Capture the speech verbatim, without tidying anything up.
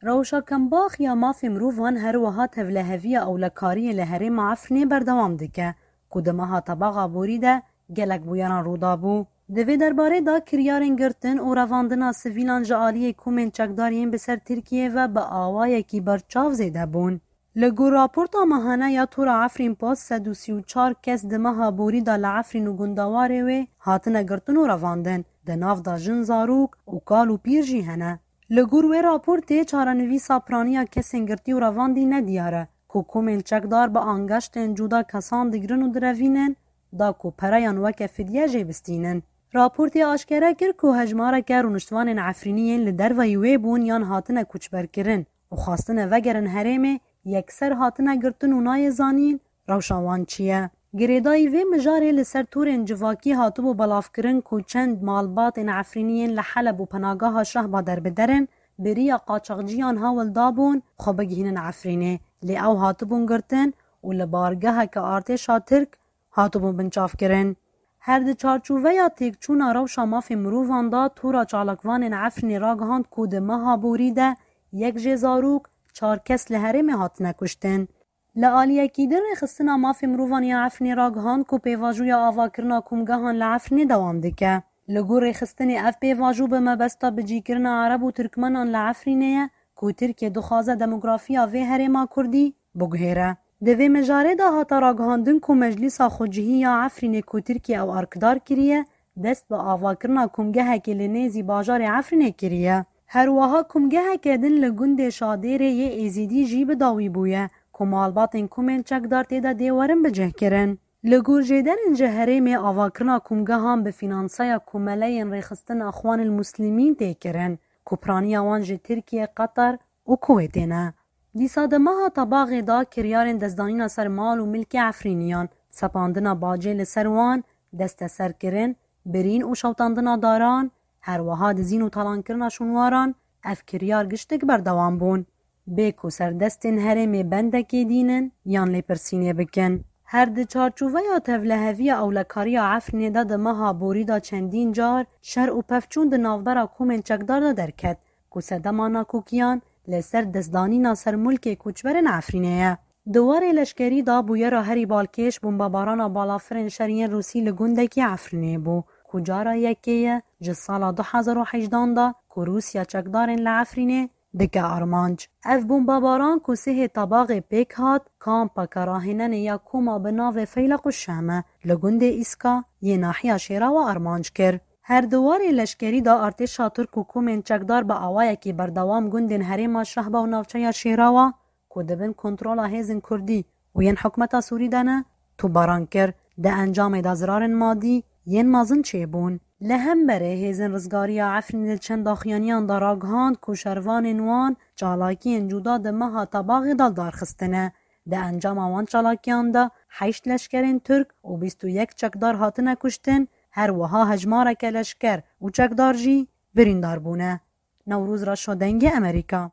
Rewşa kembax ya mafê mirovan her wiha tevleheviya ewlekariyê li herêma Efrînê berdewam dike, ku di meha Tebaxa borî de gelek bûyeran rû dabû. Di vê derbarê de kiryarên girtin û revandina sivîlan ji aliyê komên çekdar yên bi ser Tirkiyê ve bi awayekî berçav zêde bûn. Li gor raporta mehane ya Tora Efrîn Post, sed û sî û çar kes di meha borî de li Efrîn û gundewarê wê hatine girtin û revandin, di nav de jin, zarok û kal û pîr jî hene. Li gor wê raportê çarenivîsa piraniya kesên girtî û revandî nediyar e, ku komên çekdar bi angeştên cuda kesan digirin û direvînin, da ku pereyan weke fidye jê bistînin. Raportê aşkere kir ku hejmareke rûniştvanên Efrînî yên li derveyî wê bûn yan hatine koçberkirin û xwestine vegerin herêmê, yekser hatine girtin û nayê zanîn rewşa wan çi ye. Girêdayî vê mijarê li ser torên civakî hatibû belavkirin ku çend malbatên Efrînî yên li Heleb û penageha Şehba derbider in, bi riya qaçaxciyan hewl dabûn xwe bigihînin Efrînê, lê ew hatibûn girtin û li bargeheke artêşa Tirk hatibûn binçavkirin. Her di çarçoveya têkçûna rewşa mafê mirovan de, Tora Çalakvanên Efrînê ragihand ku di meha borî de yek jê zarok, çar kes li herêmê hatine kuştin. Li aliyekî din, Rêxistina Mafê Mirovan ya Efrînê ragihand ku pêvajoya avakirina komgehan li Efrînê dewam dike. Li gor rêxistinê, ev pêvajo bi mebesta bicîkirina Ereb û Tirkmenan li Efrînê ye ku Tirkiye dixwaze demografiya vê herêma Kurdî biguhêre. Di vê mijarê de hate ragihandin ku Meclîsa Xwecihî ya Efrînê ku Tirkiye ew arkidar kiriye, dest bi avakirina komgehekê li nêzî bajarê Efrînê kiriye. Her wiha komgeheke din li gundê Şadêrê yê Êzîdî jî bi dawî bûye, ku malbatên komên çekdar tê de dê werin bicihkirin. Li gor jêderên ji herêmê, avakirina komgehan bi fînanseya Komeleyên Rêxistin Exwanil Muslimîn tê kirin, ku piraniya wan ji Tirkiye, Qeter û Kuwêtê ne. Dîsa di meha Tebaxê de kiryarên destdanîna ser mal û milkê Efrîniyan, sepandina bacê li ser wan, desteserkirin, birîn û şewtandina daran, her wiha dizîn û talankirina şûnwaran, ev kiryar giştik berdewam bûn. Bê ku serdestên herêmê bendekê dînin yan lêpirsînê bikin. Her di çarçoveya tevleheviya ewlekariya Efrînê de di meha borî de çendîn car şer û pevçûn di navbera komên çekdar de derket, ku sedema nakokiyan li ser destdanîna ser mulkê koçberên Efrînê ye. Di warê leşkerî de bûyera herî balkêş bombebarana balafirên şer yên Rûsî li gundekî Efrînê bû, ku cara yekê ye ji sala du hezar û hejdan de ku Rûsya çekdarên li Efrînê dike armanc. Ev bombebaran ku sihê Tebaxê pêk hat, kampeke rahênenê ya koma bi navê Feyleq û Şeme li gundê Îska yê nahiya Şêrawa armanc kir. Her di warê leşkerî de artêşa Tirk û komên çekdar bi awayekî berdewam gundên herêma Şehba û navçeya Şêrawa ku di bin kontrola hêzên Kurdî û yên hikûmeta Sûrî de ne, topbaran kir. Di encamê de zirarên madî yên mezin çêbûn. Li hemberê hêzên rizgariya Efrînê di çend daxuyaniyan de ragihand ku şervanên wan çalakiyên cuda di meha Tebaxê de li dar xistine. Di encama wan çalakiyan de heşt leşkerên Tirk û bîst û yek çekdar hatine kuştin, her wiha hejmareke leşker û çekdar jî birîndar bûne. Newroz Reşo, Dengê Amerîka.